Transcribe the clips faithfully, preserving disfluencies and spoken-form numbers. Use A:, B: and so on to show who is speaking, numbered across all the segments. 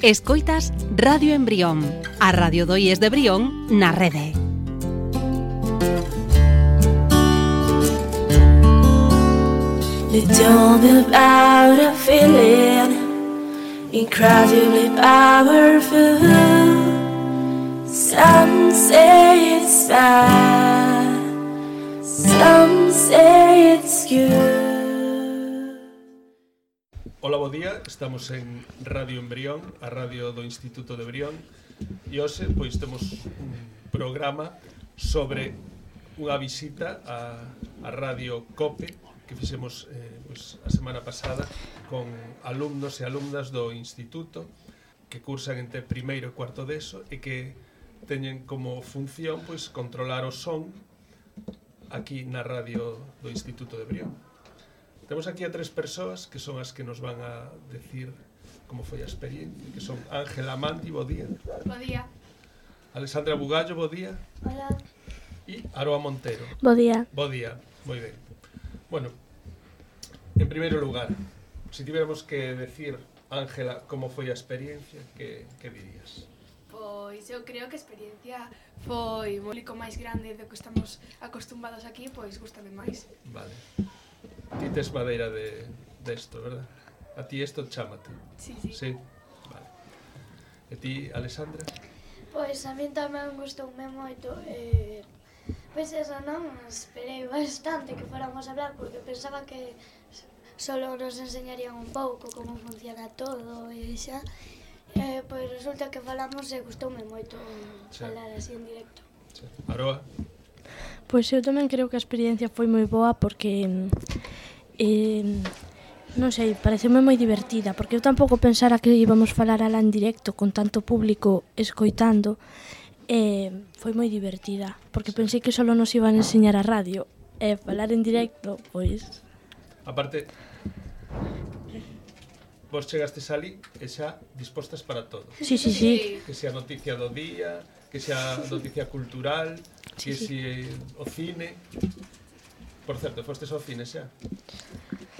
A: Escoitas Radio Embrión, a Radio do I E S de Brión na rede.
B: They told me about a feeling incredibly powerful. Some say it's bad, some say it's good.
C: Ola, bo día, estamos en Radio Embrión, a radio do Instituto de Brión, e hoxe pois temos un programa sobre unha visita a, a Radio COPE que fixemos eh, pois, a semana pasada con alumnos e alumnas do Instituto que cursan entre primeiro e cuarto de eso e que teñen como función pois controlar o son aquí na radio do Instituto de Brión. Temos aquí a tres persoas que son as que nos van a decir como foi a experiencia, que son Ángela Mandi, bo día.
D: Bo día.
C: Alexandra Bugallo, bo día.
D: Hola.
C: E Aroa Montero.
E: Bo día.
C: Bo día, moi ben. Bueno, en primeiro lugar, se tiveramos que decir, Ángela, como foi a experiencia, que, que dirías?
D: Pois eu creo que a experiencia foi un público máis grande do que estamos acostumbados aquí, pois gústame máis.
C: Vale. Ti tes madeira de, de esto, verdad? A ti esto chámate.
D: Sí, sí.
C: Sí, vale. E ti, Alexandra?
F: Pois a min tamén gustoume moito. Eh, pois eso non, esperei bastante que fóramos a hablar porque pensaba que solo nos enseñarían un pouco como funciona todo e xa. Eh, pois resulta que falamos e gustoume moito
C: sí.
F: Falar así en directo.
C: Sí. Aroa?
E: Pois eu tamén creo que a experiencia foi moi boa porque eh, non sei, pareceume moi divertida porque eu tampouco pensara que íbamos falar alá en directo con tanto público escoitando e eh, foi moi divertida porque pensei que só nos iban a enseñar a radio e eh, falar en directo, pois...
C: Aparte, vos chegastes ali e xa dispostas para todo.
E: Sí, sí, sí.
C: Que sea noticia do día, que sea noticia cultural, que
E: sí,
C: si sí. O cine. Por certo, fostes ao cine xa?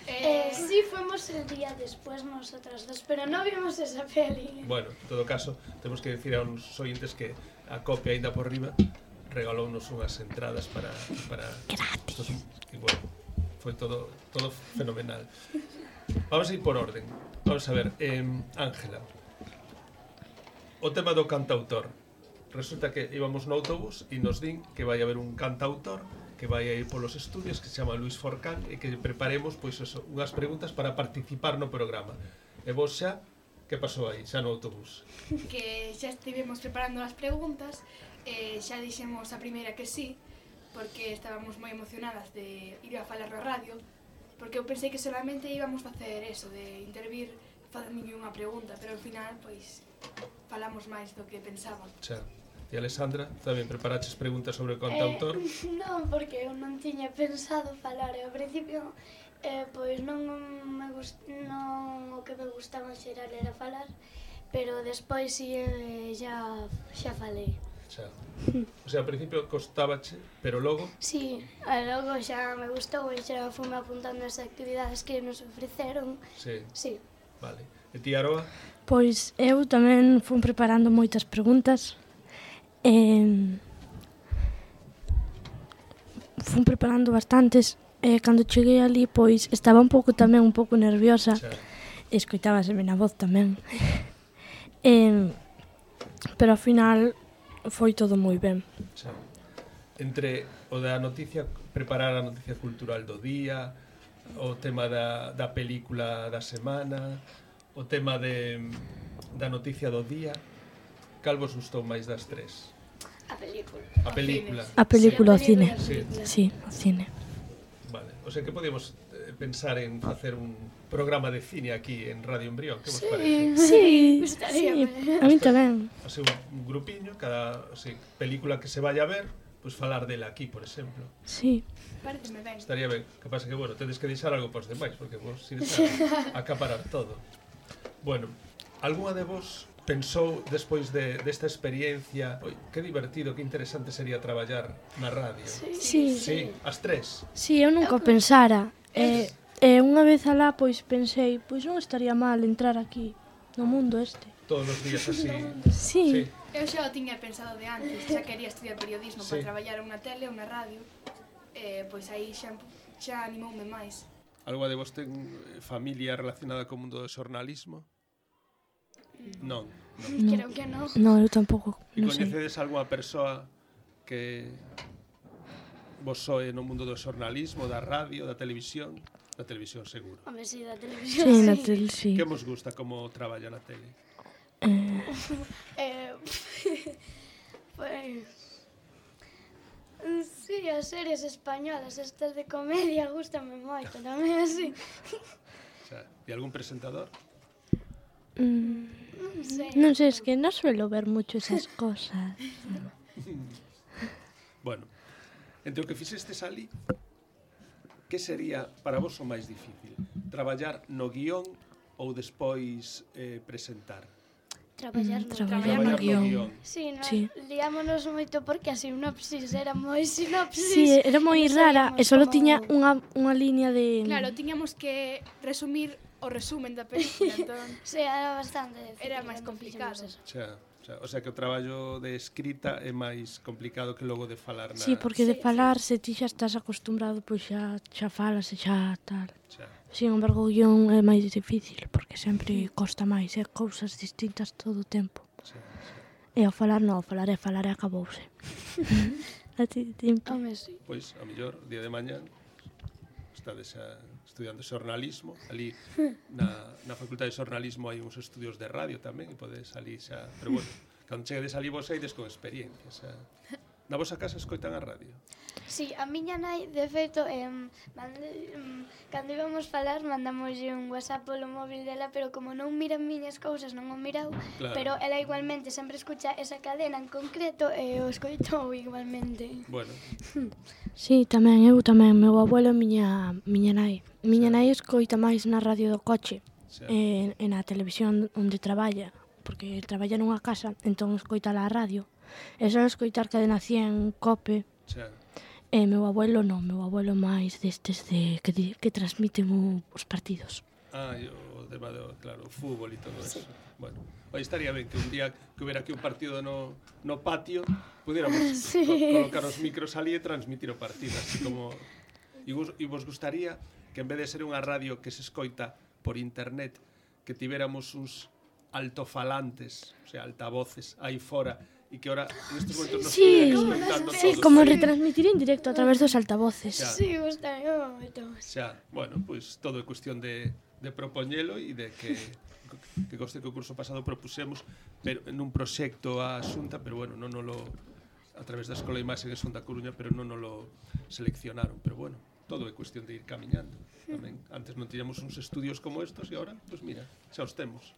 F: Eh, sí, fuimos el día después nosotras dos, pero no vimos esa peli.
C: Bueno, en todo caso, temos que decir a uns ointes que a copia aínda por riba regalounos unhas entradas para... para
E: gratis.
C: Estos, e bueno, foi todo, todo fenomenal. Vamos a ir por orden. Vamos a ver, eh, Ángela, o tema do cantautor. Resulta que íbamos no autobús e nos din que vai haber un cantautor que vai a ir polos estudios que se chama Luis Forcán e que preparemos pois eso, unhas preguntas para participar no programa. E vos xa, que pasou aí, xa no autobús?
D: Que xa estivemos preparando as preguntas e xa dixemos a primeira que sí, porque estábamos moi emocionadas de ir a falar na radio, porque eu pensei que solamente íbamos facer eso, de intervir facendo unha pregunta, pero ao final, pois, falamos máis do que pensaba.
C: Xa. E Alexandra, tamén preparaches preguntas sobre o cantautor?
F: Eh, non, porque eu non tiña pensado falar e ao principio eh, pois non me gust... non o que me gustaba en xeral era falar, pero despois si eh, xa, xa falei.
C: Xa. O sea, ao principio costábache, pero logo...
F: Sí, e logo xa me gustou e xa fume apuntando as actividades que nos ofreceron.
C: Sí.
F: Sí.
C: Vale. E ti, Aroa?
E: Pois eu tamén fui preparando moitas preguntas. Eh, fui preparando bastantes e eh, cando cheguei ali pois estaba un pouco tamén un pouco nerviosa.
C: Xa.
E: Escoitábaseme na voz tamén. eh, pero ao final foi todo moi ben.
C: Xa. Entre o da noticia, preparar a noticia cultural do día, o tema da, da película da semana, o tema de, da noticia do día, cal vos gustou máis das tres?
F: A película.
C: A película.
E: A película ao cine.
C: Sí.
E: Sí, ao cine.
C: Vale. O sea que podemos eh, pensar en facer un programa de cine aquí en Radio Embrión, que vos
F: Sí.
C: parece?
E: Sí,
F: Gustaría,
E: sí,
F: ¿eh?
E: a mí tamén.
C: Así un, un grupiño, cada así, película que se vaya a ver, pues falar dela aquí, por exemplo.
E: Sí.
D: Pareceme ben.
C: Estaría ben. Que pasa que, bueno, tedes que deixar algo pos demais, porque vos ides a acaparar todo. Bueno, algunha de vos pensou despois de desta experiencia, oi, que divertido, que interesante sería traballar na radio?
F: Sí,
E: Sí.
C: Sí, as tres.
E: Sí, eu nunca o pensara. E, e unha vez alá, pois pensei, pois non estaría mal entrar aquí, no mundo este.
C: todos os días así.
E: Sí.
D: Eu xa o tiña pensado de antes, xa quería estudiar periodismo
C: Sí.
D: para traballar unha tele ou unha radio. Eh, pois aí xa, xa animoume máis.
C: Algo de vos ten eh, familia relacionada co mundo do xornalismo? Non. non.
F: Creo que non.
E: No, eu tampouco,
C: E
E: non sei.
C: coñecedes algunha persoa que vos soe no mundo do xornalismo, da radio, da televisión? Da televisión, seguro.
F: Home, si, da televisión,
E: Sí, na
F: sí.
E: tel, sí.
C: Que vos gusta como traballa na tele?
E: Eh,
F: Eh, pues... Sí, as series españolas, estas de comedia, gústame moito, tamén así.
C: O sea, e algún presentador?
E: mm,
F: Non sei.
E: non sei, es que non suelo ver mucho esas cosas.
C: Bueno, entre o que fixestes ali, que sería para vos o máis difícil? Traballar no guión ou despois eh, presentar?
F: Traballar
E: Mm,
F: no
E: traballar
C: no
E: no guión.
F: Sí, no,
E: Sí.
F: liámonos moito porque a sinopsis era moi sinopsis.
E: Sí, era moi
F: e non
E: rara e
F: sabíamos
E: solo
F: como-
E: tiña unha, unha línea de...
D: Claro, tiñamos que resumir o resumen da película, entón
F: Sí, era bastante difícil.
D: Era máis
F: cando
D: complicado.
F: fixemos eso.
C: O sea, o sea, o sea que o traballo de escrita é máis complicado que logo de falar na...
E: Sí, porque de
F: Sí,
E: falar, se ti xa estás acostumbrado, pois xa, xa falas e xa tal.
C: O sea,
E: Sin embargo, o guión é máis difícil, porque sempre costa máis, é cousas distintas todo o tempo.
C: o sea, o sea,
E: E ao falar non, ao falar é falar e acabouse. A ti, ti,
F: Home, sí.
C: pois, a mellor, día de mañán, estades a, estudiando xornalismo, ali na, na Facultade de Xornalismo hai uns estudios de radio tamén, e podes salir xa... Pero bueno, cando cheguedes ali vos eides con experiencia, xa... Na vosa casa escoitan a radio?
F: Sí, a miña nai, de feito, em, mande, em, cando íbamos falar, mandámoslle un WhatsApp polo móvil dela, pero como non mira miñas cousas, non o mirou,
C: Claro.
F: pero ela igualmente sempre escucha esa cadena en concreto e o escoitou igualmente.
C: Bueno,
E: Sí, tamén, eu tamén, meu abuelo e miña, miña nai. Miña nai escoita máis na radio do coche
C: xa,
E: e, e na televisión onde traballa, porque traballa nunha casa, entón escoita a radio. E só escoitar Cadena cien, Cope,
C: xa,
E: e meu abuelo non, meu abuelo máis destes de que, di- que transmiten o, os partidos.
C: ah, e o tema do, claro, o fútbol e todo eso. Bueno, aí estaría ben que un día que hubiera aquí un partido no, no patio, pudiéramos
F: Sí.
C: co colocar os micros ali e transmitir o partido, así como... E vos, e vos gustaría que en vez de ser unha radio que se escoita por internet, que tivéramos uns altofalantes, o sea, altavoces aí fora, e que ahora nestes momentos nos
E: Sí,
C: estuvieran escoitando
E: Sí,
C: todos.
E: como retransmitir en directo a través dos altavoces.
C: Xa.
F: Sí, gustame moito.
C: Xa, bueno, pois pues, todo é cuestión de, de propoñelo e de que que goste que o curso pasado propusemos pero nun proxecto a Xunta, pero bueno, non lo a través da Escola de Imaxe de Xunta Coruña, pero non lo seleccionaron, pero bueno, todo é cuestión de ir camiñando. Tamén antes non tiñamos uns estudios como estos e agora, pois pues mira, xa os temos.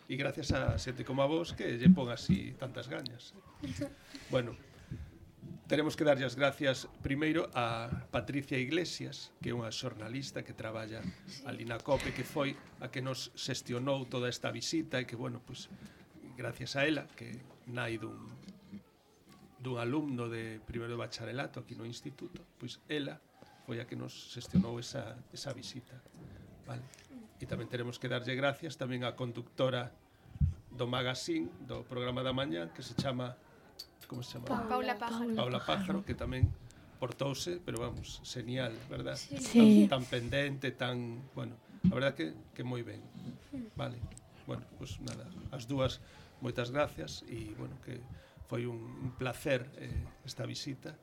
C: E gracias a xente como a vos que lle pon así tantas gañas. Bueno, teremos que darlle as gracias primeiro a Patricia Iglesias, que é unha xornalista que traballa ali na COPE, que foi a que nos xestionou toda esta visita e que, bueno, pues, gracias a ela, que nai dun, dun alumno de primeiro de bacharelato aquí no instituto, pois ela foi a que nos xestionou esa, esa visita. Vale. E tamén teremos que darlle gracias tamén á conductora do magazine, do programa da mañá, que se chama... Como se chama?
D: Paula Pájaro.
C: Paula Pájaro, que tamén portouse, pero vamos, genial, verdad?
E: Sí.
C: Tan, tan pendente, tan... Bueno, a verdad que, que moi ben. Vale. Bueno, pues nada, as dúas, moitas gracias e, bueno, que foi un, un placer eh, esta visita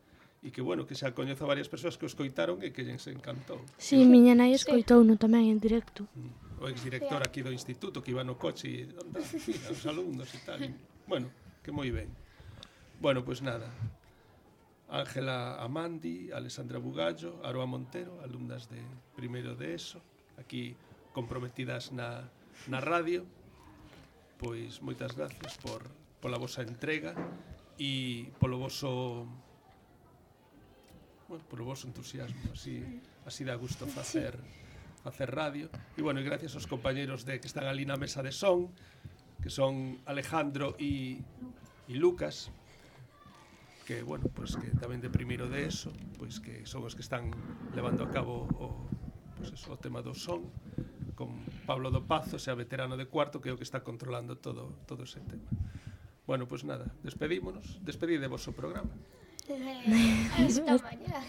C: e que, bueno, que xa coñezo a varias persoas que o escoitaron e que lles encantou.
E: Sí, miña nai escoitouno tamén en directo.
C: O exdirector aquí do instituto que iba no coche e anda, mira, os alumnos e tal. E, bueno, que moi ben. Bueno, pois pues nada. Ángela Amandi, Alessandra Bugallo, Aroa Montero, alumnas de primeiro de ESO, aquí comprometidas na, na radio. Pois moitas gracias por pola vosa entrega e polo voso bueno, polo voso entusiasmo, así así dá gusto facer facer radio. E bueno, e gracias aos compañeros de que están ali na mesa de son, que son Alejandro e e Lucas, que, bueno, pues que tamén de primeiro de eso, pois que son os que están levando a cabo o, pues eso, o tema do son, con Pablo do Pazo, xa veterano de cuarto, que é o que está controlando todo, todo ese tema. Bueno, pois pues nada, despedímonos. Despedidevos o programa.
F: Hasta mañá.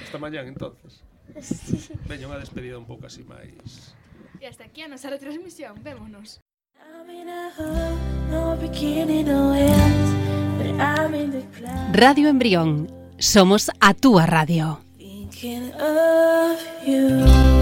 C: Hasta mañán, entonces.
F: Sí.
C: Veña unha despedida un pouco así máis...
D: E hasta aquí a nosa retransmisión. Vémonos.
B: I'm in a hole, no beginning, no end, but I'm in the clouds,
A: Radio Embrión. Somos a túa radio.
B: thinking of you.